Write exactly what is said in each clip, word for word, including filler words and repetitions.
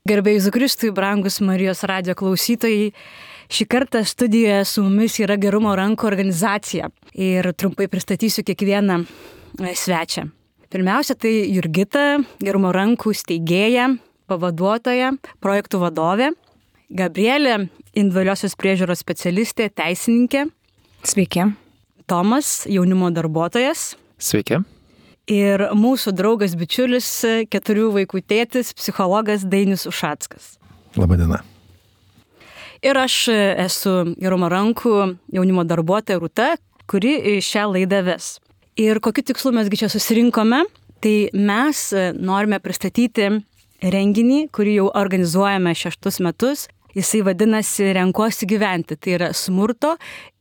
Garbėjai Jėzui Kristui, brangus Marijos radijo klausytojai, šį kartą studijoje su mumis yra Gerumo rankų organizacija ir trumpai pristatysiu kiekvieną svečią. Pirmiausia, tai Jurgita, Gerumo rankų steigėja, pavaduotoja, projektų vadovė, Gabrielė, individualiosios priežiūros specialistė, teisininkė. Sveiki. Tomas, jaunimo darbuotojas. Sveiki. Ir mūsų draugas bičiulis, keturių vaikų tėtis, psichologas Dainius Ušackas. Labadiena. Ir aš esu Gerumo rankų jaunimo darbuotoja Rūta, kuri šią laidą ves. Ir kokiu tikslu mesgi čia susirinkome, tai mes norime pristatyti renginį, kurį jau organizuojame šeštus metus. Jisai vadinasi Renkuosi gyventi, tai yra smurto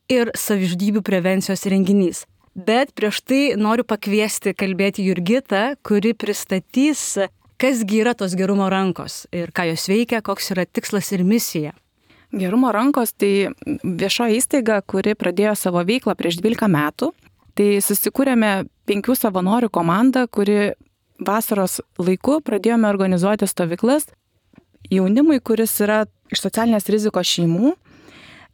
ir savižudybių prevencijos renginys. Bet prieš tai noriu pakviesti kalbėti Jurgitą, kuri pristatys, kasgi yra tos Gerumo rankos ir ką jos veikia, koks yra tikslas ir misija. Gerumo rankos tai viešoji įstaiga, kuri pradėjo savo veiklą prieš dvylika metų. Tai susikūrėme penkių savanorių komandą, kuri vasaros laiku pradėjome organizuoti stovyklas jaunimui, kuris yra iš socialinės rizikos šeimų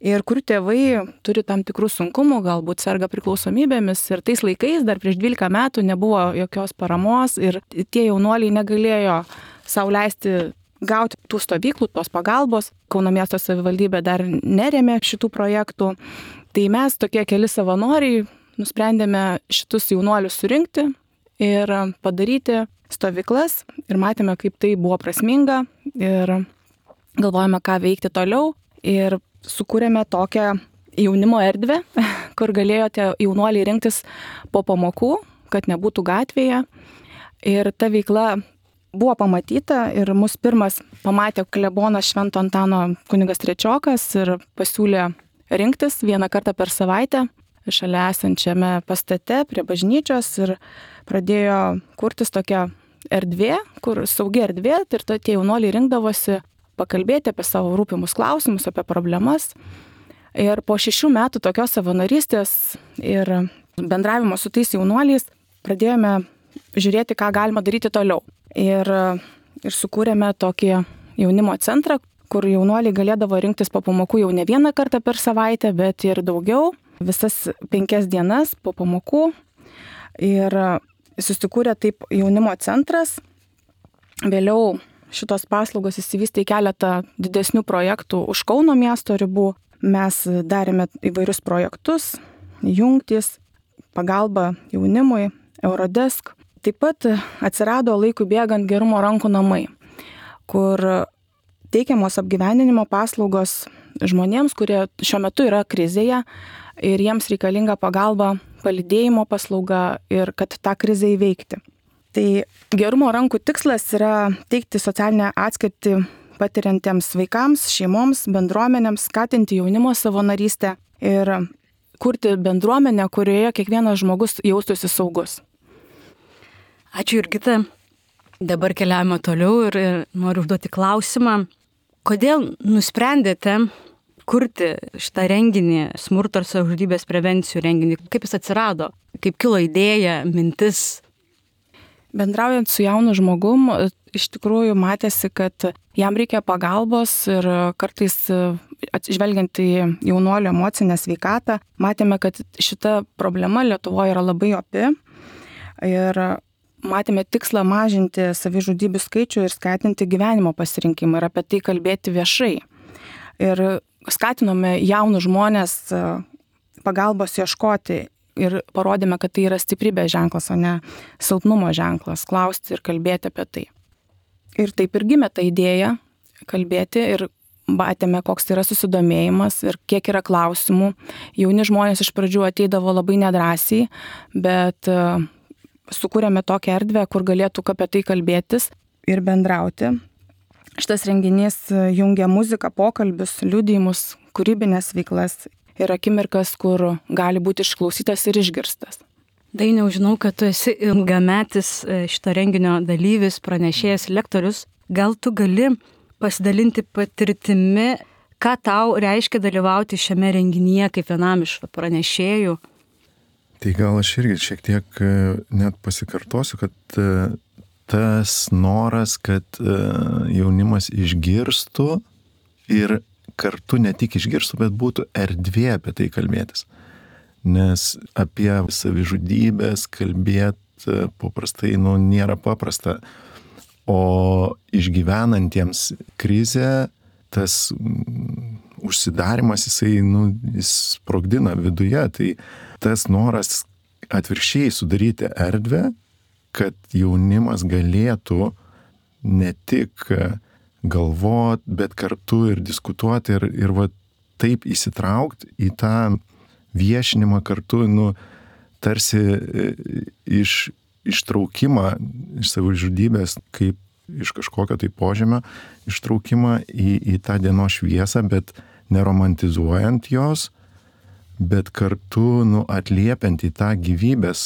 ir kurių tėvai turi tam tikrų sunkumų, galbūt serga priklausomybėmis. Ir tais laikais, dar prieš dvylika metų, nebuvo jokios paramos ir tie jaunuoliai negalėjo sau leisti gauti tų stovyklų, tos pagalbos. Kauno miesto savivaldybė dar nerėmė šitų projektų. Tai mes, tokie keli savanoriai, nusprendėme šitus jaunuolius surinkti ir padaryti stovyklas. Ir matėme, kaip tai buvo prasminga ir galvojame, ką veikti toliau. Ir sukūrėme tokią jaunimo erdvę, kur galėjo tie jaunuoliai rinktis po pamokų, kad nebūtų gatvėje. Ir ta veikla buvo pamatyta ir mus pirmas pamatė klebonas Švento Antano kunigas Trečiokas ir pasiūlė rinktis vieną kartą per savaitę šalia esančiame pastate prie bažnyčios ir pradėjo kurtis tokia erdvė, kur saugi erdvė ir tie jaunuoliai rinkdavosi pakalbėti apie savo rūpimus klausimus, apie problemas. Ir po šešių metų tokios savanorystės ir bendravimo su tais jaunuoliais pradėjome žiūrėti, ką galima daryti toliau. Ir, ir sukūrėme tokį jaunimo centrą, kur jaunuoliai galėdavo rinktis po pamokų jau ne vieną kartą per savaitę, bet ir daugiau, visas penkias dienas po pamokų. Ir susikūrė taip jaunimo centras. Vėliau šitos paslaugos įsivystė į keletą didesnių projektų už Kauno miesto ribų. Mes darėme įvairius projektus, jungtis, pagalba jaunimui, Eurodesk. Taip pat atsirado laikui bėgant Gerumo rankų namai, kur teikiamos apgyvendinimo paslaugos žmonėms, kurie šiuo metu yra krizėje ir jiems reikalinga pagalba, palydėjimo paslauga ir kad tą krizę įveikti. Tai Gerumo rankų tikslas yra teikti socialinę atskirtį patiriantiems vaikams, šeimoms, bendruomenėms, skatinti jaunimo savanorystę ir kurti bendruomenę, kurioje kiekvienas žmogus jaustųsi saugus. Ačiū Jurgita. Dabar keliaujame toliau ir noriu užduoti klausimą. Kodėl nusprendėte kurti šitą renginį, smurto ir savižudybės prevencijų renginį? Kaip jis atsirado? Kaip kilo idėja, mintis? Bendraujant su jaunu žmogum, iš tikrųjų matėsi, kad jam reikia pagalbos ir kartais atžvelgiant į jaunuolio emocinę sveikatą, matėme, kad šita problema Lietuvoje yra labai opi ir matėme tikslą mažinti savižudybių skaičių ir skatinti gyvenimo pasirinkimą ir apie tai kalbėti viešai. Ir skatinome jaunus žmonės pagalbos ieškoti. Ir parodėme, kad tai yra stiprybės ženklas, o ne silpnumo ženklas, klausti ir kalbėti apie tai. Ir taip ir gimė ta idėja kalbėti ir matėme, koks yra susidomėjimas ir kiek yra klausimų. Jauni žmonės iš pradžių ateidavo labai nedrąsiai, bet uh, sukūrėme tokią erdvę, kur galėtų apie tai kalbėtis ir bendrauti. Šitas renginys jungia muziką, pokalbius, liudijimus, kūrybinės veiklas ir akimirkas, kur gali būti išklausytas ir išgirstas. Dainiau, žinau, kad tu esi ilgametis šito renginio dalyvis, pranešėjas, lektorius. Gal tu gali pasidalinti patirtimi, ką tau reiškia dalyvauti šiame renginyje kaip vienam iš pranešėjų? Tai gal aš irgi šiek tiek net pasikartosiu, kad tas noras, kad jaunimas išgirstų ir kartu ne tik išgirstų, bet būtų erdvė apie tai kalbėtis. Nes apie savižudybės kalbėti paprastai nu, nėra paprasta. O išgyvenantiems krizę tas užsidarimas, jisai nu, jis sprogdina viduje. Tai tas noras atvirkščiai sudaryti erdvę, kad jaunimas galėtų ne tik galvoti, bet kartu ir diskutuoti ir, ir va, taip įsitraukti į tą viešinimą kartu, nu, tarsi iš, ištraukimą iš savižudybės, kaip iš kažkokio tai požemio, ištraukimą į, į tą dienos šviesą, bet neromantizuojant jos, bet kartu nu, atliepiant į tą gyvybės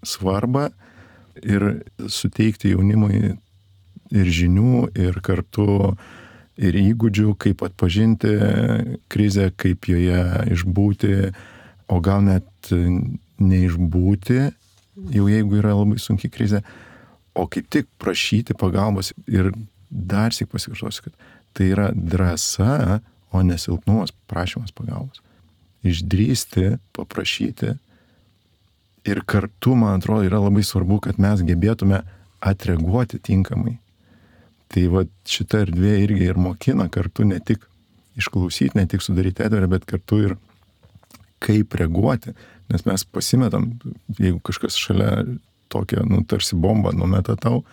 svarbą ir suteikti jaunimui ir žinių, ir kartu ir įgūdžių, kaip atpažinti krizę, kaip joje išbūti, o gal net neišbūti, jau jeigu yra labai sunki krizė, o kaip tik prašyti pagalbos. Ir dar sik pasikartosiu, kad tai yra drąsa, o nesilpnumas, prašymas pagalbos. Išdrįsti, paprašyti. Ir kartu, man atrodo, yra labai svarbu, kad mes gebėtume atreaguoti tinkamai. Tai va šita erdvė irgi ir mokina kartu ne tik išklausyti, ne tik sudaryti erdvę, bet kartu ir kaip reaguoti. Nes mes pasimetam, jeigu kažkas šalia tokia, nu, tarsi bomba numeta tau,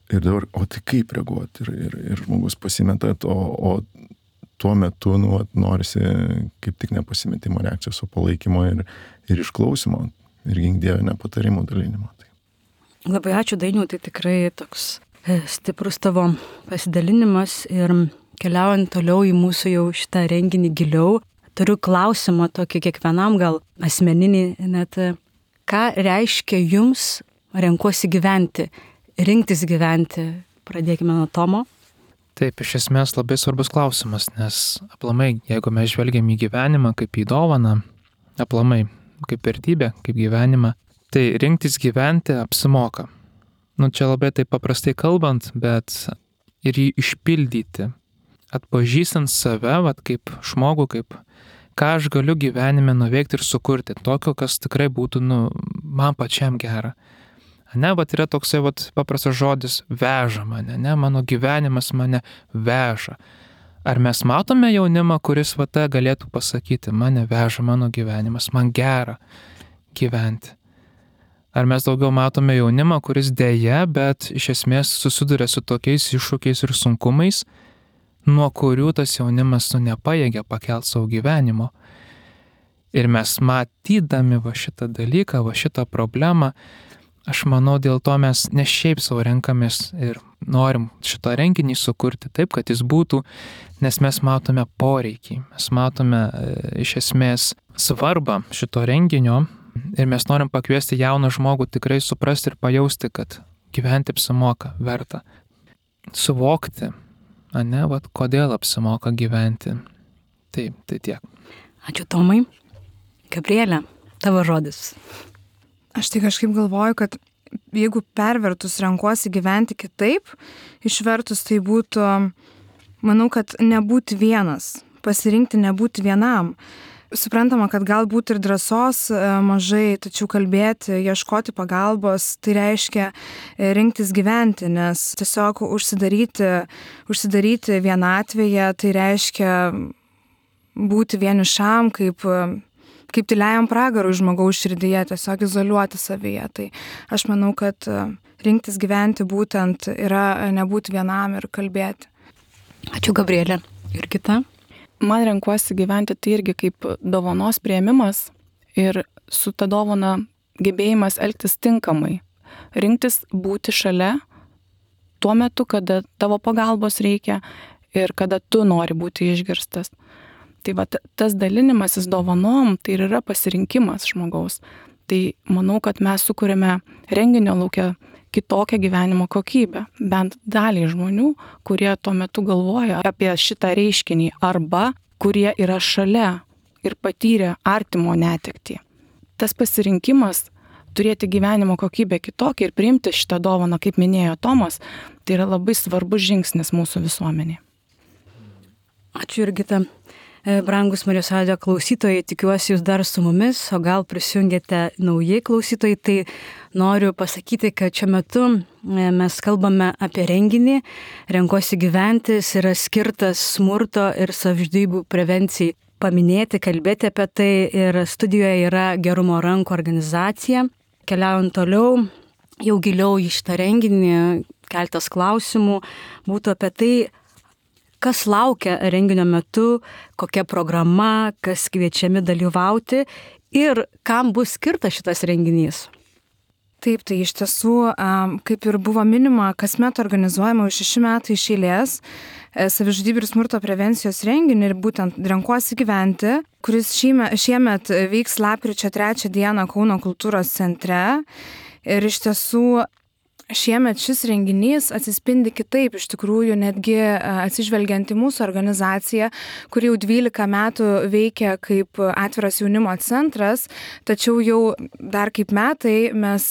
ir dabar, o tai kaip reaguoti? Ir, ir, ir žmogus pasimeta, o, o tuo metu, nu, norisi kaip tik nepasimetimo reakcijos, o palaikymo ir, ir išklausimo, ir gink Dieve nepatarimų dalinimo. Tai. Labai ačiū, Dainiau, tai tikrai toks stiprus tavo pasidalinimas ir keliaujant toliau į mūsų jau šitą renginį giliau, turiu klausimą tokį kiekvienam gal asmeninį, net ką reiškia jums renkuosi gyventi, rinktis gyventi? Pradėkime nuo Tomo. Taip, iš esmės labai svarbus klausimas, nes aplamai, jeigu mes žvelgiam į gyvenimą kaip į dovaną, aplamai kaip vertybę, kaip gyvenimą, tai rinktis gyventi apsimoka. Nu, čia labai taip paprastai kalbant, bet ir jį išpildyti, atpažįstant save, vat, kaip žmogų, kaip ką aš galiu gyvenime nuveikti ir sukurti, tokio, kas tikrai būtų nu, man pačiam gera. Ne, vat yra toksai vat, paprastas žodis veža mane, ne, mano gyvenimas mane veža. Ar mes matome jaunimą, kuris vat galėtų pasakyti, mane veža mano gyvenimas, man gera gyventi? Ar mes daugiau matome jaunimą, kuris dėja, bet iš esmės susiduria su tokiais iššūkiais ir sunkumais, nuo kurių tas jaunimas nu, nepajėgia pakelti savo gyvenimo. Ir mes matydami va šitą dalyką, va šitą problemą, aš manau, dėl to mes ne šiaip savo renkamės ir norim šitą renginį sukurti taip, kad jis būtų, nes mes matome poreikį, mes matome e, iš esmės svarbą šito renginio. Ir mes norim pakviesti jauną žmogų tikrai suprasti ir pajausti, kad gyventi apsimoka, verta. Suvokti, ane, vat, kodėl apsimoka gyventi. Taip, tai tiek. Ačiū, Tomai. Gabrielė, tavo žodis. Aš tai kažkaip galvoju, kad jeigu pervertus renkuosi gyventi kitaip, išvertus tai būtų, manau, kad nebūti vienas, pasirinkti nebūti vienam. Suprantama, kad galbūt ir drąsos mažai, tačiau kalbėti, ieškoti pagalbos, tai reiškia rinktis gyventi, nes tiesiog užsidaryti, užsidaryti vienatvėje, tai reiškia būti vienišam, kaip, kaip tyliajam pragarui žmogaus širdyje, tiesiog izoliuoti savyje. Tai aš manau, kad rinktis gyventi būtent yra nebūti vienam ir kalbėti. Ačiū, Gabrielė. Ir kita? Man renkuosi gyventi tai irgi kaip dovanos priėmimas ir su ta dovana gebėjimas elgtis tinkamai. Rinktis būti šalia tuo metu, kada tavo pagalbos reikia ir kada tu nori būti išgirstas. Tai va, tas dalinimasis dovanom tai ir yra pasirinkimas žmogaus. Tai manau, kad mes sukūrėme renginio lauke kitokią gyvenimo kokybę, bent daliai žmonių, kurie tuo metu galvoja apie šitą reiškinį arba kurie yra šalia ir patyrė artimo netektį. Tas pasirinkimas turėti gyvenimo kokybę kitokią ir priimti šitą dovaną, kaip minėjo Tomas, tai yra labai svarbus žingsnis mūsų visuomenėje. Ačiū, Jurgita. Brangus Marijos radijo klausytojai, tikiuosi jūs dar su mumis, o gal prisijungėte naujai klausytojai, tai noriu pasakyti, kad šiuo metu mes kalbame apie renginį. Renkuosi gyventi, jis yra skirtas smurto ir savižudybių prevencijai. Paminėti, kalbėti apie tai ir studijoje yra Gerumo rankų organizacija. Keliaujant toliau, jau giliau į šitą renginį, keltas klausimų būtų apie tai, kas laukia renginio metu, kokia programa, kas kviečiami dalyvauti ir kam bus skirtas šitas renginys. Taip, tai iš tiesų, kaip ir buvo minima, kasmet organizuojama už šeši metai iš eilės savižudybių ir smurto prevencijos renginį ir būtent Renkuosi gyventi, kuris šiemet, šiemet vyks lapkričio trečią dieną Kauno kultūros centre. Ir iš tiesų šiemet šis renginys atsispindi kitaip, iš tikrųjų netgi atsižvelgiant į mūsų organizaciją, kuri jau dvylika metų veikia kaip atviras jaunimo centras, tačiau jau dar kaip metai mes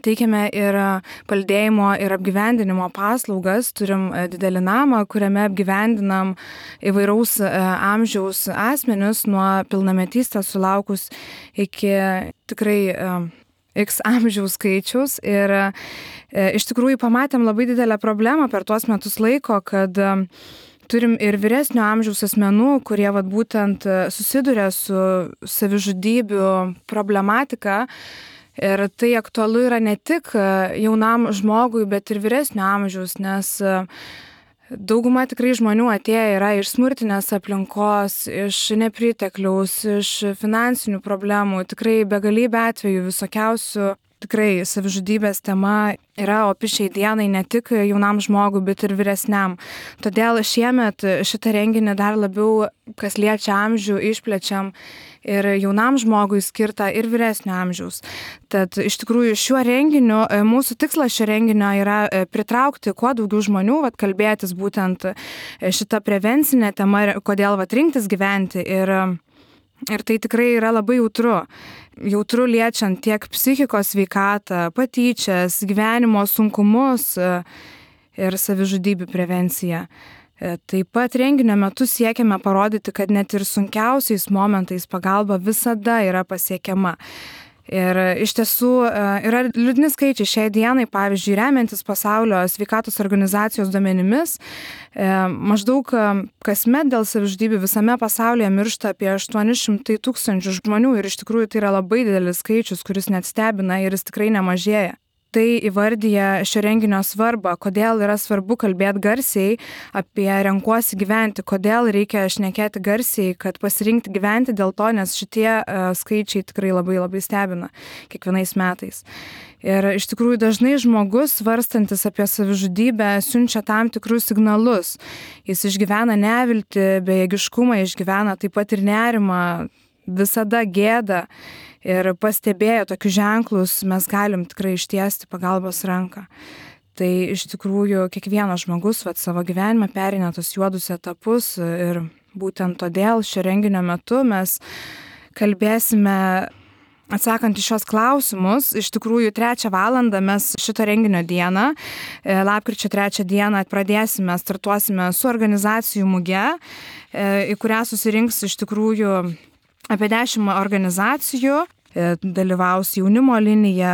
teikiame ir palydėjimo ir apgyvendinimo paslaugas, turim didelį namą, kuriame apgyvendinam įvairaus amžiaus asmenius nuo pilnametystės sulaukus iki tikrai X amžiaus skaičiaus ir e, iš tikrųjų pamatėm labai didelę problemą per tuos metus laiko, kad e, turim ir vyresnio amžiaus asmenų, kurie vat, būtent susiduria su savižudybių problematika ir tai aktualu yra ne tik jaunam žmogui, bet ir vyresnio amžiaus, nes e, dauguma tikrai žmonių atėję yra iš smurtinės aplinkos, iš nepritekliaus, iš finansinių problemų, tikrai begalybė atvejų visokiausių. Tikrai savižudybės tema yra opi šiai dienai ne tik jaunam žmogui, bet ir vyresniam. Todėl šiemet šitą renginį dar labiau, kas liečia amžių, išplečiam ir jaunam žmogui skirta ir vyresnio amžiaus. Tad iš tikrųjų šiuo renginiu, mūsų tikslas šio renginio yra pritraukti kuo daugiau žmonių, vat, kalbėtis būtent šitą prevencinę temą, kodėl vat, rinktis gyventi. Ir, ir tai tikrai yra labai jautru. Jautru liečiant tiek psichikos sveikatą, patyčias, gyvenimo sunkumus ir savižudybių prevenciją. Taip pat renginio metu siekiame parodyti, kad net ir sunkiausiais momentais pagalba visada yra pasiekiama. Ir iš tiesų yra liūdni skaičiai šiai dienai, pavyzdžiui, remiantis pasaulio sveikatos organizacijos duomenimis, maždaug kasmet dėl savižudybių visame pasaulyje miršta apie aštuoni šimtai tūkstančių žmonių ir iš tikrųjų tai yra labai didelis skaičius, kuris net stebina ir jis tikrai nemažėja. Tai įvardyja šio renginio svarbą, kodėl yra svarbu kalbėti garsiai apie renkuosi gyventi, kodėl reikia šnekėti garsiai, kad pasirinkti gyventi dėl to, nes šitie uh, skaičiai tikrai labai labai stebina kiekvienais metais. Ir iš tikrųjų dažnai žmogus, svarstantis apie savižudybę, siunčia tam tikrus signalus. Jis išgyvena neviltį, bejėgiškumą, išgyvena taip pat ir nerimą, visada gėdą. Ir pastebėję tokius ženklus, mes galim tikrai ištiesti pagalbos ranką. Tai iš tikrųjų kiekvienas žmogus vat, savo gyvenime pereina tos juodus etapus ir būtent todėl šio renginio metu mes kalbėsime, atsakant į šios klausimus, iš tikrųjų trečią valandą mes šito renginio dieną, lapkričio trečią dieną pradėsime, startuosime su organizacijų muge, į kurią susirinks iš tikrųjų apie dešimt organizacijų, dalyvaus jaunimo linija,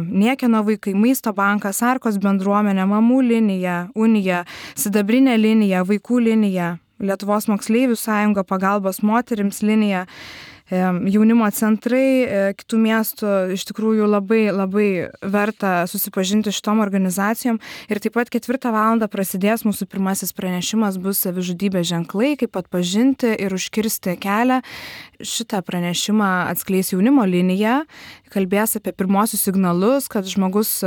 Niekieno vaikai, Maisto bankas, Arkos bendruomenė, Mamų linija, Unija, Sidabrinė linija, Vaikų linija, Lietuvos moksleivių sąjunga, Pagalbos moterims linija, jaunimo centrai kitų miestų. Iš tikrųjų labai, labai verta susipažinti šitom organizacijom. Ir taip pat ketvirtą valandą prasidės mūsų pirmasis pranešimas, bus savižudybės ženklai, kaip atpažinti ir užkirsti kelią. Šitą pranešimą atskleis jaunimo linija, kalbės apie pirmosius signalus, kad žmogus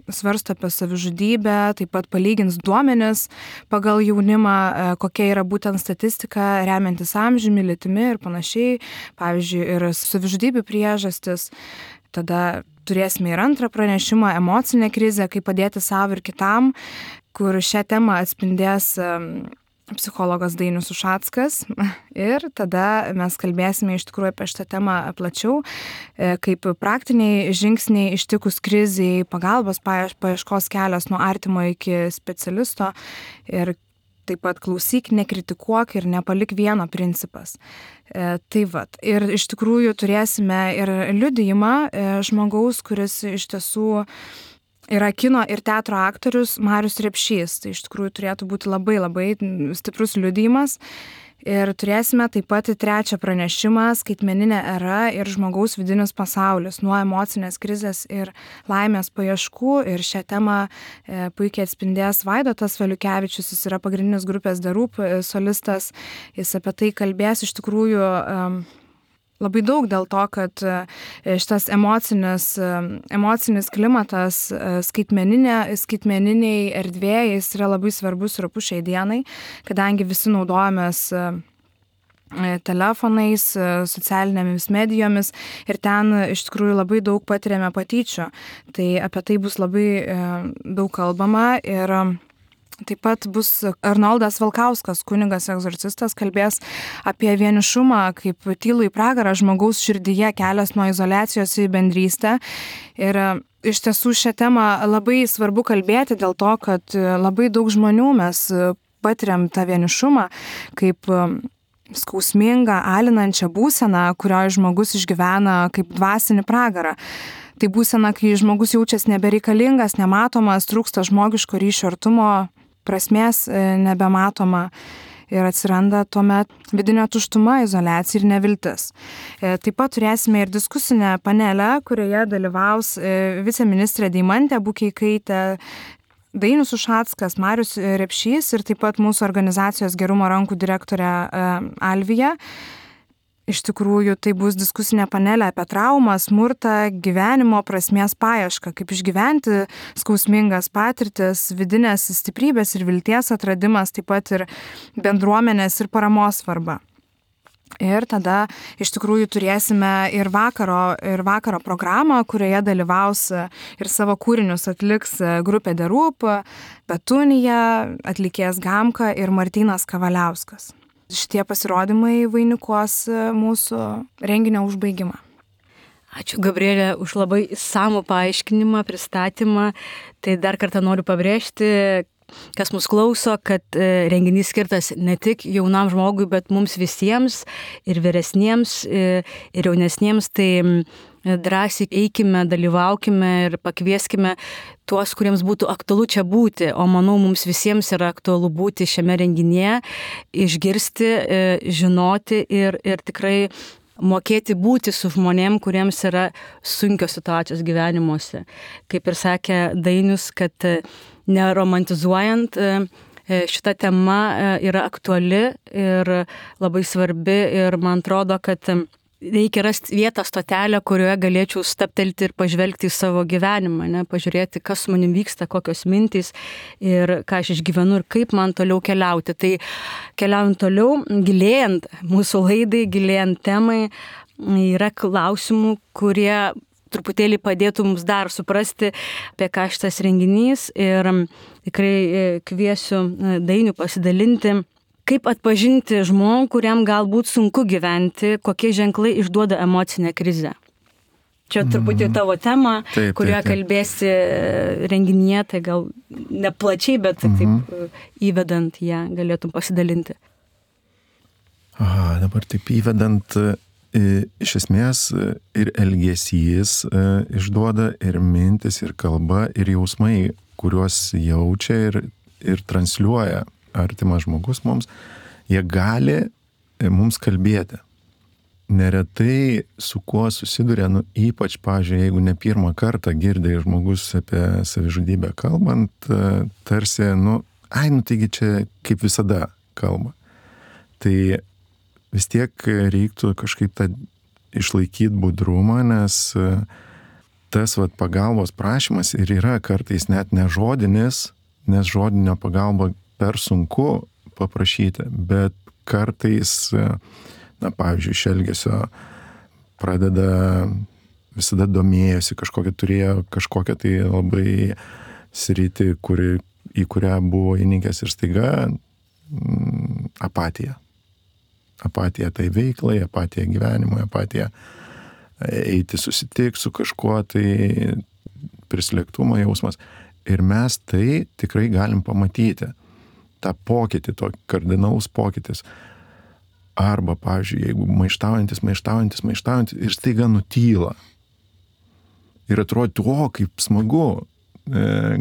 svarsto apie savižudybę, taip pat palygins duomenis pagal jaunimą, kokia yra būtent statistika, remiantis amžiumi, lytimi ir panašiai. Pavyzdžiui, ir savižudybių priežastis. Tada turėsime ir antrą pranešimą, emocinė krizė, kaip padėti savo ir kitam, kur šią temą atspindės psichologas Dainius Ušackas ir tada mes kalbėsime iš tikrųjų apie šitą temą plačiau, kaip praktiniai žingsniai ištikus kriziai, pagalbos paieškos kelias nuo artimo iki specialisto ir taip pat klausyk, nekritikuok ir nepalik vieno principas. E, tai vat. Ir iš tikrųjų turėsime ir liudijimą e, žmogaus, kuris iš tiesų yra kino ir teatro aktorius Marius Repšys. Tai iš tikrųjų turėtų būti labai labai stiprus liudijimas. Ir turėsime taip pat trečią pranešimą skaitmeninė era ir žmogaus vidinis pasaulis nuo emocinės krizės ir laimės paieškų. Ir šią temą e, puikiai atspindės Vaidotas Valiukevičius, jis yra pagrindinis grupės The Roop solistas. Jis apie tai kalbės iš tikrųjų e, labai daug dėl to, kad šitas emocinis, emocinis klimatas skaitmeninė, skaitmeniniai erdvėje jis yra labai svarbus ir opus šiai dienai, kadangi visi naudojamės telefonais, socialinėmis medijomis ir ten iš tikrųjų labai daug patiriame patyčių. Tai apie tai bus labai daug kalbama ir taip pat bus Arnoldas Valkauskas, kunigas egzorcistas, kalbės apie vienišumą kaip tylų į pragarą žmogaus širdyje kelias nuo izoliacijos į bendrystę. Ir iš tiesų šią temą labai svarbu kalbėti dėl to, kad labai daug žmonių mes patiriam tą vienišumą kaip skausmingą, alinančią būseną, kurioje žmogus išgyvena kaip dvasinį pragarą. Tai būsena, kai žmogus jaučiasi nebereikalingas, nematomas, trūksta žmogiško ryšio artumo, prasmės nebematoma ir atsiranda tuomet vidinė tuštuma, izoliacija ir neviltis. Taip pat turėsime ir diskusinę panelę, kurioje dalyvaus viceministrė Deimantė Bukeikaitė, Dainius Ušackas, Marius Repšys ir taip pat mūsų organizacijos Gerumo rankų direktorė Alvija. Iš tikrųjų, tai bus diskusinė panelė apie traumą, smurtą, gyvenimo prasmės paiešką, kaip išgyventi skausmingas patirtis, vidinės stiprybės ir vilties atradimas, taip pat ir bendruomenės ir paramos svarba. Ir tada iš tikrųjų turėsime ir vakaro, ir vakaro programą, kurioje dalyvaus ir savo kūrinius atliks grupė The Roop, Petunija, atlikėjas Gamka ir Martynas Kavaliauskas. Šitie pasirodymai vainikuos mūsų renginio užbaigimą. Ačiū, Gabrielė, už labai išsamų paaiškinimą, pristatymą. Tai dar kartą noriu pabrėžti, kas mus klauso, kad renginys skirtas ne tik jaunam žmogui, bet mums visiems, ir vyresniems, ir jaunesniems. Tai drąsiai eikime, dalyvaukime ir pakvieskime tuos, kuriems būtų aktualu čia būti. O manau, mums visiems yra aktualu būti šiame renginyje, išgirsti, žinoti ir, ir tikrai mokėti būti su žmonėm, kuriems yra sunkios situacijos gyvenimuose. Kaip ir sakė Dainius, kad neromantizuojant, šita tema yra aktuali ir labai svarbi ir man atrodo, kad reikia rasti vietą, stotelę, kurioje galėčiau staptelti ir pažvelgti į savo gyvenimą, ne? Pažiūrėti, kas su manim vyksta, kokios mintys ir ką aš išgyvenu ir kaip man toliau keliauti. Tai keliaujant toliau, gilėjant mūsų laidai, gilėjant temai, yra klausimų, kurie truputėlį padėtų mums dar suprasti, apie ką šitas renginys ir tikrai kviesiu Dainių pasidalinti. Kaip atpažinti žmogų, kuriam galbūt sunku gyventi, kokie ženklai išduoda emocinę krizę? Čia truputį tavo tema, taip, kurioje taip, taip. kalbėsi renginyje, tai gal neplačiai, bet mhm. taip įvedant ją galėtum pasidalinti. Aha, dabar taip įvedant, iš esmės ir elgesys išduoda, ir mintis, ir kalba, ir jausmai, kuriuos jaučia ir, ir transliuoja artimas žmogus mums, jie gali mums kalbėti. Neretai su kuo susiduria, nu, ypač, pavyzdžiui, jeigu ne pirmą kartą girdė žmogus apie savižudybę kalbant, tarsi, nu, ai, nu, taigi čia kaip visada kalba. Tai vis tiek reiktų kažkaip tą išlaikyti budrumą, nes tas vat, pagalbos prašymas ir yra kartais net nežodinis, nes žodinio pagalba per sunku paprašyti, bet kartais, na, pavyzdžiui, iš elgesio pradeda, visada domėjosi kažkokią, turėjo kažkokią tai labai sritį, kuri, į kurią buvo įnikęs ir staiga mm, apatija. Apatija tai veiklai, apatija gyvenimui, apatija eiti susitikti su kažkuo, tai prislėgtumo jausmas. Ir mes tai tikrai galim pamatyti, tą pokytį, to kardinalus pokytis. Arba, pavyzdžiui, jeigu maištaujantis, maištaujantis, maištaujantis ir staiga nutyla. Ir atrodo, o, kaip smagu e,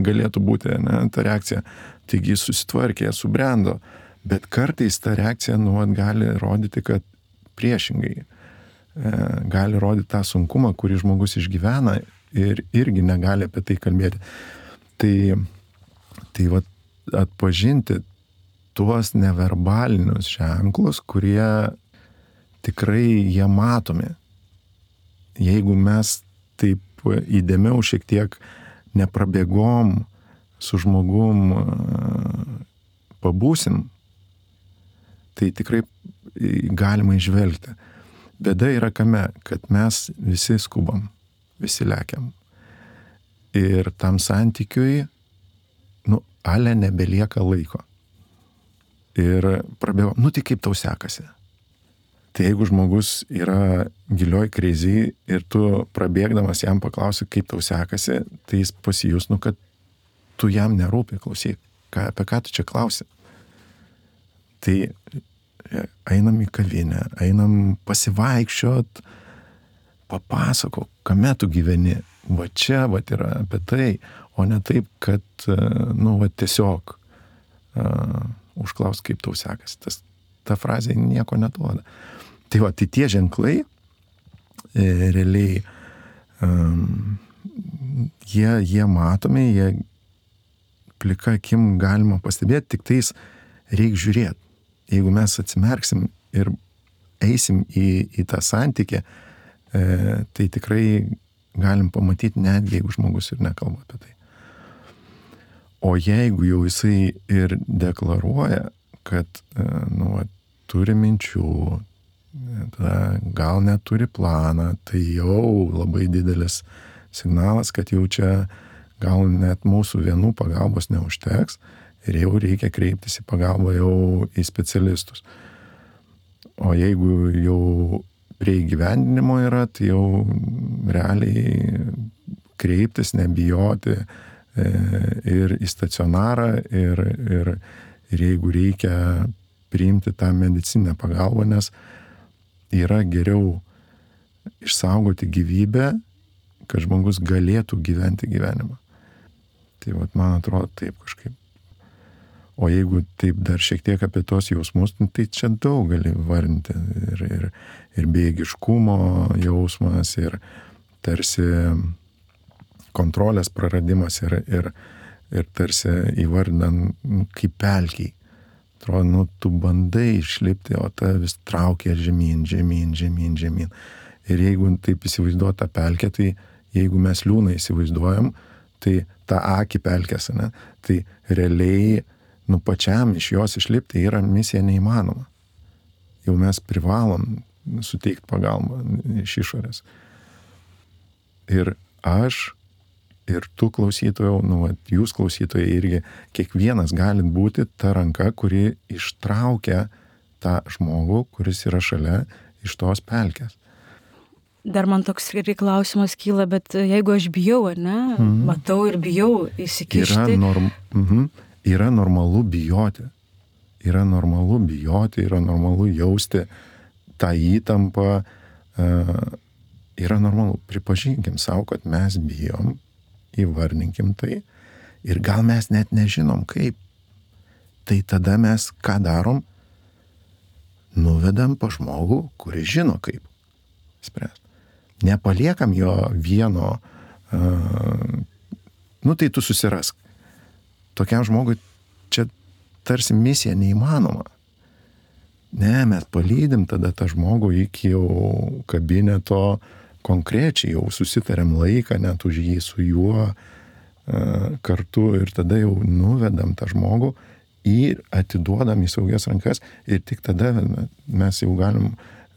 galėtų būti, ne, ta reakcija. Taigi susitvarkė, subrendo. Bet kartais ta reakcija, nu, gali rodyti, kad priešingai. E, gali rodyti tą sunkumą, kurį žmogus išgyvena ir irgi negali apie tai kalbėti. Tai, tai va, atpažinti tuos neverbalinius ženklus, kurie tikrai jie matomi. Jeigu mes taip įdėmiau šiek tiek neprabėgom su žmogum pabūsim, tai tikrai galima įžvelgti. Bėda yra kame, kad mes visi skubam, visi lekiam. Ir tam santykiui, nu, ale nebelieka laiko. Ir prabėgo, nu tai kaip tau sekasi? Tai jeigu žmogus yra gilioj krizėj ir tu prabėgdamas jam paklausi, kaip tau sekasi, tai jis pasijus, nu, kad tu jam nerūpi, klausyk, ką, apie ką tu čia klausi. Tai einam į kavinę, einam pasivaikščiot, papasako, kame tu gyveni. Va čia, va yra apie tai, o ne taip, kad, nu, va tiesiog uh, užklaus, kaip tau sekasi. Tas, ta frazė nieko neduoda. Tai va, tai tie ženklai e, realiai um, jie, jie matomi, jie plika akim galima pastebėti, tik tais reik žiūrėti. Jeigu mes atsimerksim ir eisim į, į tą santykį, e, tai tikrai galim pamatyti, netgi jeigu žmogus ir nekalba apie tai. O jeigu jau jisai ir deklaruoja, kad nu, turi minčių, tada gal neturi planą, tai jau labai didelis signalas, kad jau čia gal net mūsų vienų pagalbos neužteks ir jau reikia kreiptis į pagalbą jau į specialistus. O jeigu jau prie įgyvendinimo yra, tai jau realiai kreiptis, nebijoti e, ir į stacionarą ir, ir, ir jeigu reikia priimti tą medicininę pagalbą, nes yra geriau išsaugoti gyvybę, kad žmogus galėtų gyventi gyvenimą. Tai vat, man atrodo taip kažkaip. O jeigu taip dar šiek tiek apie tos jausmus, tai čia daug gali vardinti. Ir, ir, ir bejėgiškumo jausmas, ir tarsi kontrolės praradimas, ir, ir, ir tarsi įvardinant kaip pelkiai. Atrodo, nu, tu bandai išlipti, o ta vis traukia žemyn, žemyn, žemyn, žemyn. Ir jeigu taip įsivaizduoja tą pelkę, tai jeigu mes liūną įsivaizduojam, tai tą akį pelkės, ne? Tai realiai nu pačiam iš jos išlipti yra misija neįmanoma. Jau mes privalom suteikti pagalbą iš išorės. Ir aš, ir tu klausytojau, nu, jūs klausytojai irgi, kiekvienas galit būti ta ranka, kuri ištraukia tą žmogų, kuris yra šalia iš tos pelkės. Dar man toks klausimas kyla, bet jeigu aš bijau, ne, mm. matau ir bijau įsikišti. Yra norm... mhm. Yra normalu bijoti, yra normalu bijoti, yra normalu jausti tą įtampą, yra normalu, pripažinkim savo, kad mes bijom, įvardinkim tai ir gal mes net nežinom kaip. Tai tada mes ką darom? Nuvedam pa žmogų, kuris žino kaip spręsti. Nepaliekam jo vieno, nu tai tu susirask. Tokiam žmogui čia tarsi misija neįmanoma. Ne, mes palydim tada tą žmogų iki jau kabineto, konkrečiai jau susitariam laiką, net už jį su juo uh, kartu ir tada jau nuvedam tą žmogų ir atiduodam į saugias rankas ir tik tada mes jau galim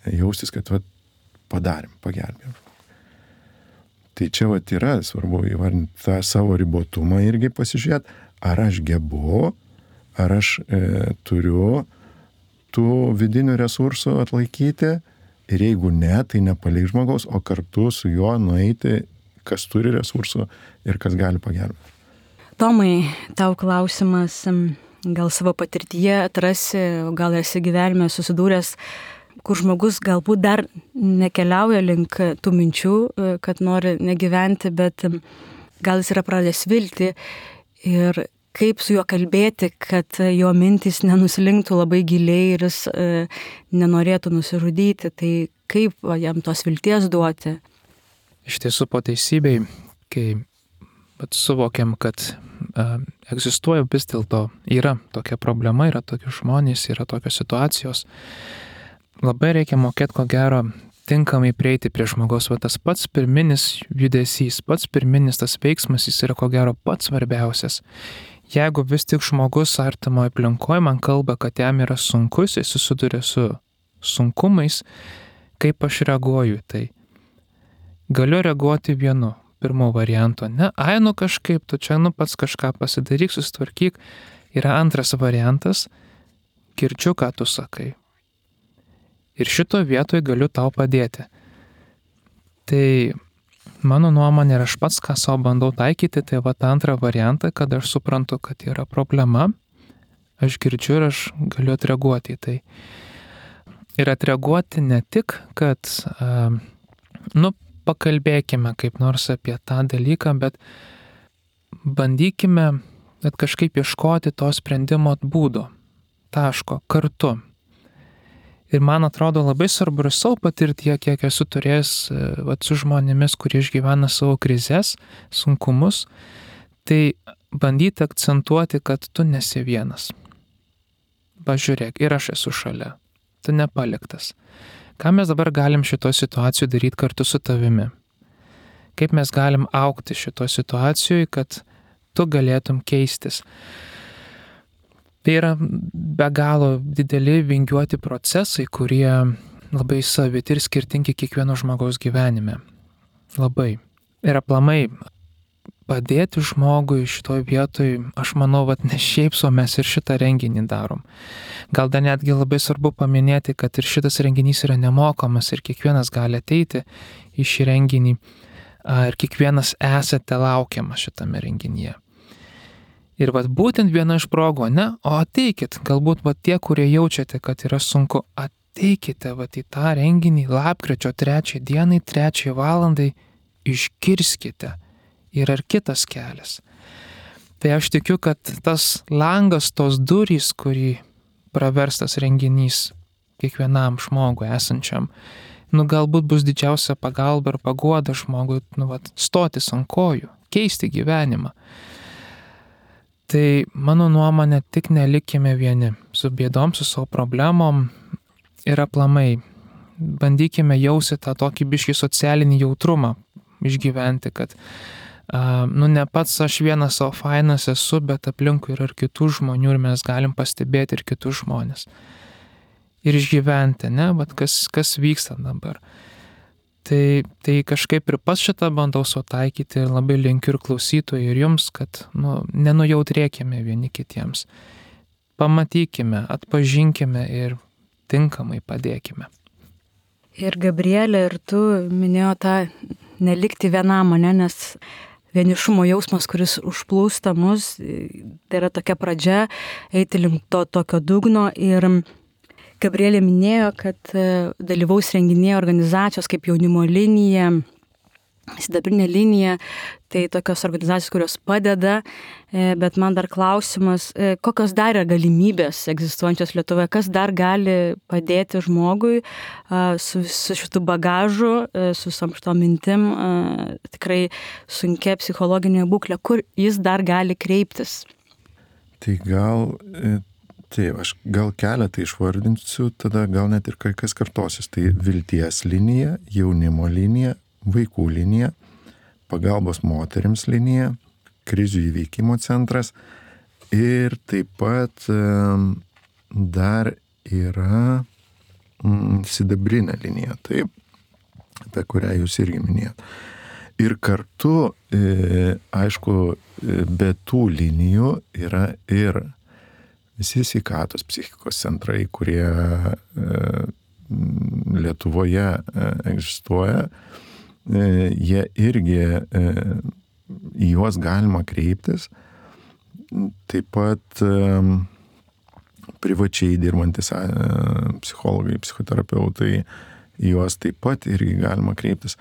jaustis, kad vat, padarėm, pagelbėjom. Tai čia vat yra svarbu įvardinti tą savo ribotumą irgi pasižiūrėti, ar aš gebu, ar aš e, turiu tų vidinių resursų atlaikyti ir jeigu ne, tai nepalik žmogaus, o kartu su juo nueiti, kas turi resursų ir kas gali pagelbėti. Tomai, tau klausimas, gal savo patirtyje atrasi, gal esi gyvenime susidūręs, kur žmogus galbūt dar nekeliauja link tų minčių, kad nori negyventi, bet gal jis yra pradėjęs viltį ir kaip su juo kalbėti, kad jo mintys nenuslinktų labai giliai ir jis e, nenorėtų nusižudyti, tai kaip va, jam tos vilties duoti? Iš tiesų po teisybei, kai suvokiam, kad uh, egzistuoja vis dėlto, yra tokia problema, yra tokie žmonės, yra tokios situacijos, labai reikia mokėti, ko gero, tinkamai prieiti prie žmogaus. Va tas pats pirminis judesys, pats pirminis tas veiksmas, jis yra ko gero pats svarbiausias. Jeigu vis tik žmogus artimoje aplinkoje man kalba, kad jam yra sunkus, jis susiduria su sunkumais, kaip aš reaguoju, tai galiu reaguoti vienu, pirmo varianto, ne, ai, nu kažkaip, tu čia, nu pats kažką pasidaryk, susitvarkyk. Yra antras variantas, girdžiu, ką tu sakai. Ir šito vietoje galiu tau padėti. Tai mano nuomonė ir aš pats, ką savo bandau taikyti, tai va tą antrą variantą, kad aš suprantu, kad yra problema, aš girdžiu ir aš galiu atreaguoti į tai. Ir atreaguoti ne tik, kad, uh, nu, pakalbėkime kaip nors apie tą dalyką, bet bandykime kad kažkaip ieškoti to sprendimo būdo, taško, kartu. Ir man atrodo labai svarbu ir savo patirtyje, kiek esu turėjęs vat, su žmonėmis, kurie išgyvena savo krizes, sunkumus, tai bandyti akcentuoti, kad tu nesi vienas. Pažiūrėk, ir aš esu šalia, tu nepaliktas. Ką mes dabar galim šito situacijų daryti kartu su tavimi? Kaip mes galim augti šito situacijoje, kad tu galėtum keistis? Tai yra be galo dideli vingiuoti procesai, kurie labai saviti ir skirtingi kiekvieno žmogaus gyvenime. Labai. Ir aplamai padėti žmogui šitoj vietoj, aš manau, vat ne šiaip so mes ir šitą renginį darom. Gal dar netgi labai svarbu paminėti, kad ir šitas renginys yra nemokamas ir kiekvienas gali ateiti į šį renginį ir kiekvienas esate laukiamas šitame renginyje. Ir vat būtent viena iš progų, ne, o ateikit, galbūt vat tie, kurie jaučiate, kad yra sunku, ateikite vat į tą renginį lapkričio trečią dienai, trečią valandai, išgirskite. Ir ar kitas kelias. Tai aš tikiu, kad tas langas, tos durys, kurį praverstas renginys kiekvienam žmogui esančiam, nu galbūt bus didžiausia pagalba ir paguoda žmogui, nu vat, stotis ant kojų, keisti gyvenimą. Tai mano nuomonė, tik nelikime vieni su bėdom, su savo problemom ir aplamai bandykime jausti tą tokį biškį socialinį jautrumą išgyventi, kad Uh, nu ne pats aš vienas savo fainas esu, bet aplinkui yra ir kitų žmonių ir mes galim pastebėti ir kitus žmonės. Ir išgyventi, ne, bet kas, kas vyksta dabar. Tai, tai kažkaip ir pas šitą bandau sutaikyti ir labai linkiu ir klausytojai ir jums, kad nu, nenujautrėkime vieni kitiems. Pamatykime, atpažinkime ir tinkamai padėkime. Ir Gabrielė, ir tu minėjo tą nelikti vienam, ne, nes vienišumo jausmas, kuris užplūsta mus, tai yra tokia pradžia eiti link to tokio dugno. Ir Gabrielė minėjo, kad dalyvaus renginėje organizacijos kaip Jaunimo linija, Sidabrinė linija, tai tokios organizacijos, kurios padeda, bet man dar klausimas, kokios dar yra galimybės egzistuojančios Lietuvoje, kas dar gali padėti žmogui su, su šitų bagažu, su samštom mintim, tikrai sunkia psichologinė būklė, kur jis dar gali kreiptis? Tai gal, taip, aš gal keletą išvardinsiu, tada gal net ir kai kas kartosis. Tai Vilties linija, Jaunimo linija, Vaikų linija, Pagalbos moterims linija, Krizių įveikimo centras ir taip pat dar yra Sidabrinė linija, taip, apie kurią jūs irgi minėjot. Ir kartu, aišku, be tų linijų yra ir visi sveikatos psichikos centrai, kurie e, Lietuvoje e, egzistuoja, e, jie irgi e, į juos galima kreiptis. Taip pat e, privačiai dirbantis e, psichologai, psichoterapeutai, į juos taip pat irgi galima kreiptis.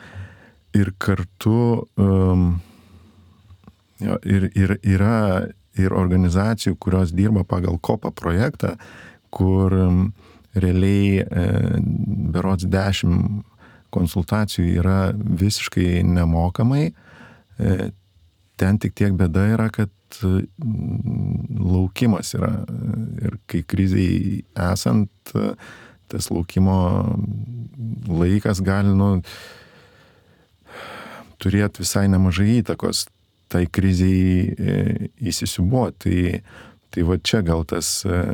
Ir kartu um, jo, ir, ir, yra ir organizacijų, kurios dirba pagal kopą projektą, kur um, realiai e, berods dešimt konsultacijų yra visiškai nemokamai. E, ten tik tiek bėda yra, kad laukimas yra. Ir kai kriziai esant, tas laukimo laikas gali nu, turėti visai nemažai įtakos tai kriziai įsisiūbuoti. Tai, tai va čia gal tas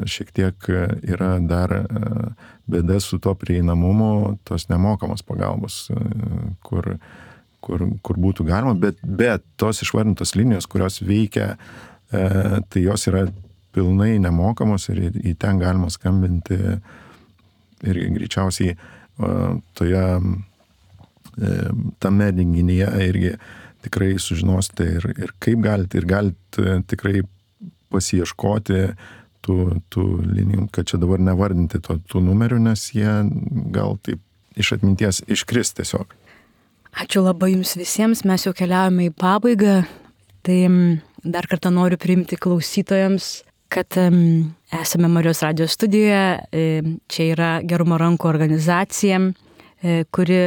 šiek tiek yra dar bėda su to prieinamumu, tos nemokamos pagalbos, kur, kur, kur būtų galima, bet, bet tos išvardintos linijos, kurios veikia, tai jos yra pilnai nemokamos ir į ten galima skambinti ir greičiausiai toje tame renginyje irgi tikrai sužinosite ir, ir kaip galite, ir galite tikrai pasiieškoti tų, tų linijų, kad čia dabar nevardinti to, tų numerių, nes jie gal taip iš atminties iškris tiesiog. Ačiū labai jums visiems, mes jau keliaujame į pabaigą, tai dar kartą noriu priimti klausytojams, kad um, esame Marijos radijos studijoje, čia yra Gerumo rankų organizacija, kuri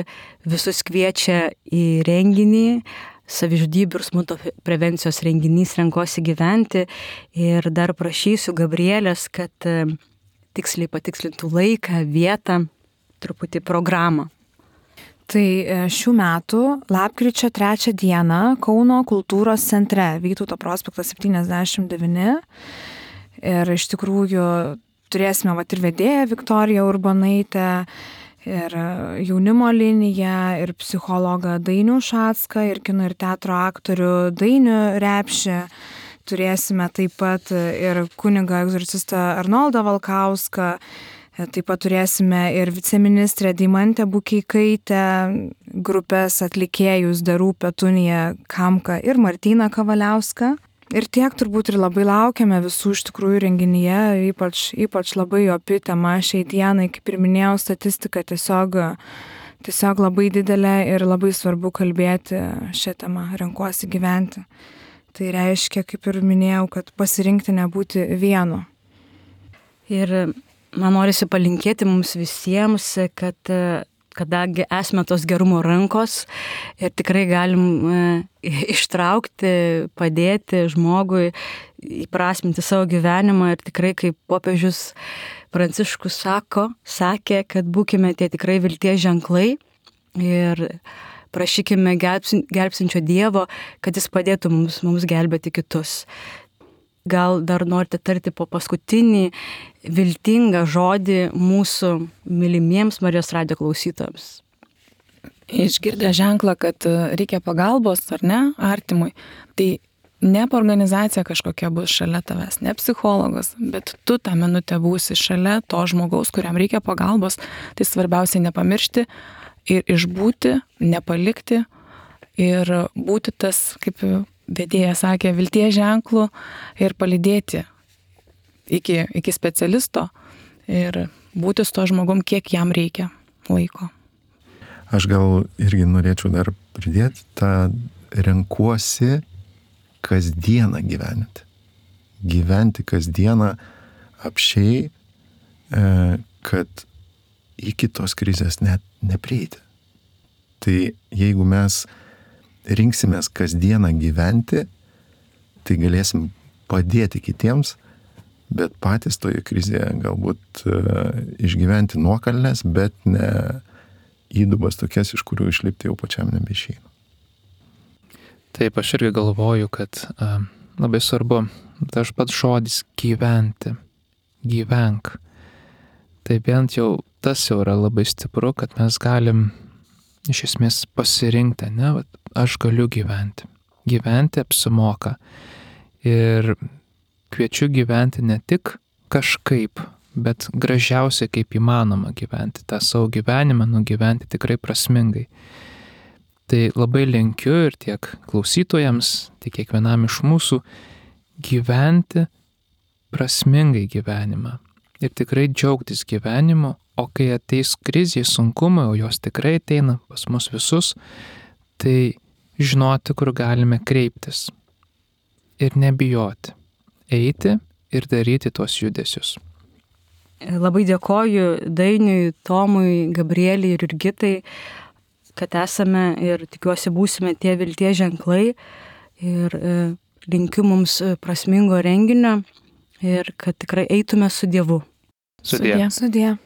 visus kviečia į renginį, savižudybių ir smurto prevencijos renginys Renkuosi gyventi, ir dar prašysiu Gabrielės, kad um, tiksliai patikslintų laiką, vietą, truputį programą. Tai šių metų lapkričio trečią dieną Kauno kultūros centre, Vytauto prospektas septyniasdešimt devyni. Ir iš tikrųjų turėsime vat ir vedėją Viktoriją Urbonaitę, ir jaunimo liniją, ir psichologą Dainių Šacką, ir kino ir teatro aktorių Dainių Repšį. Turėsime taip pat ir kunigą egzorcistą Arnoldą Valkauską. Taip pat turėsime ir viceministrę Deimantę Bukeikaitę, grupės atlikėjus Darų Petuniją Kamką ir Martyną Kavaliauską. Ir tiek turbūt ir labai laukiame visų iš tikrųjų renginyje, ypač, ypač labai opi tema šiai dienai, kaip ir minėjau, statistika tiesiog, tiesiog labai didelė ir labai svarbu kalbėti šią temą, renkuosi gyventi. Tai reiškia, kaip ir minėjau, kad pasirinkti nebūti vienu. Ir man norisi palinkėti mums visiems, kad kadangi esame tos gerumo rankos ir tikrai galim e, ištraukti, padėti žmogui įprasminti savo gyvenimą, ir tikrai kaip popiežius Pranciškus sako, sakė, kad būkime tie tikrai vilties ženklai ir prašykime gelbsinčio Dievo, kad jis padėtų mums, mums gelbėti kitus. Gal dar norite tarti po paskutinį viltingą žodį mūsų mylimiems Marijos radijo klausytojams? Išgirdę ženklą, kad reikia pagalbos, ar ne, artimui, tai ne organizacija kažkokia bus šalia tavęs, ne psichologas, bet tu tą minutę būsi šalia to žmogaus, kuriam reikia pagalbos. Tai svarbiausiai nepamiršti ir išbūti, nepalikti ir būti tas, kaip vedėja sakė, vilties ženklų ir palydėti iki, iki specialisto ir būti su to žmogum, kiek jam reikia laiko. Aš gal irgi norėčiau dar pridėti tą renkuosi kasdieną gyventi. Gyventi kasdieną apšiai, kad iki tos krizės net neprieiti. Tai jeigu mes rinksimės kasdieną gyventi, tai galėsim padėti kitiems, bet patys toje krizėje galbūt uh, išgyventi nuokalnes, bet ne įdubas tokias, iš kurių išlipti jau pačiam nebeišeina. Taip, aš irgi galvoju, kad uh, labai svarbu tas pats žodis gyventi, gyvenk. Tai bent jau tas jau yra labai stipru, kad mes galim iš esmės pasirinkti, ne, vat, aš galiu gyventi. Gyventi apsimoka. Ir kviečiu gyventi ne tik kažkaip, bet gražiausia kaip įmanoma gyventi tą savo gyvenimą, nugyventi tikrai prasmingai. Tai labai linkiu ir tiek klausytojams, tiek kiekvienam iš mūsų gyventi prasmingai gyvenimą ir tikrai džiaugtis gyvenimu, o kai ateis krizė, sunkumai, o jos tikrai ateina pas mus visus, tai žinoti, kur galime kreiptis ir nebijoti, eiti ir daryti tuos judesius. Labai dėkoju Dainiui, Tomui, Gabrieliai ir Jurgitai, kad esame ir tikiuosi būsime tie vilties ženklai ir linkiu mums prasmingo renginio ir kad tikrai eitume su Dievu. Sudie. Sudie.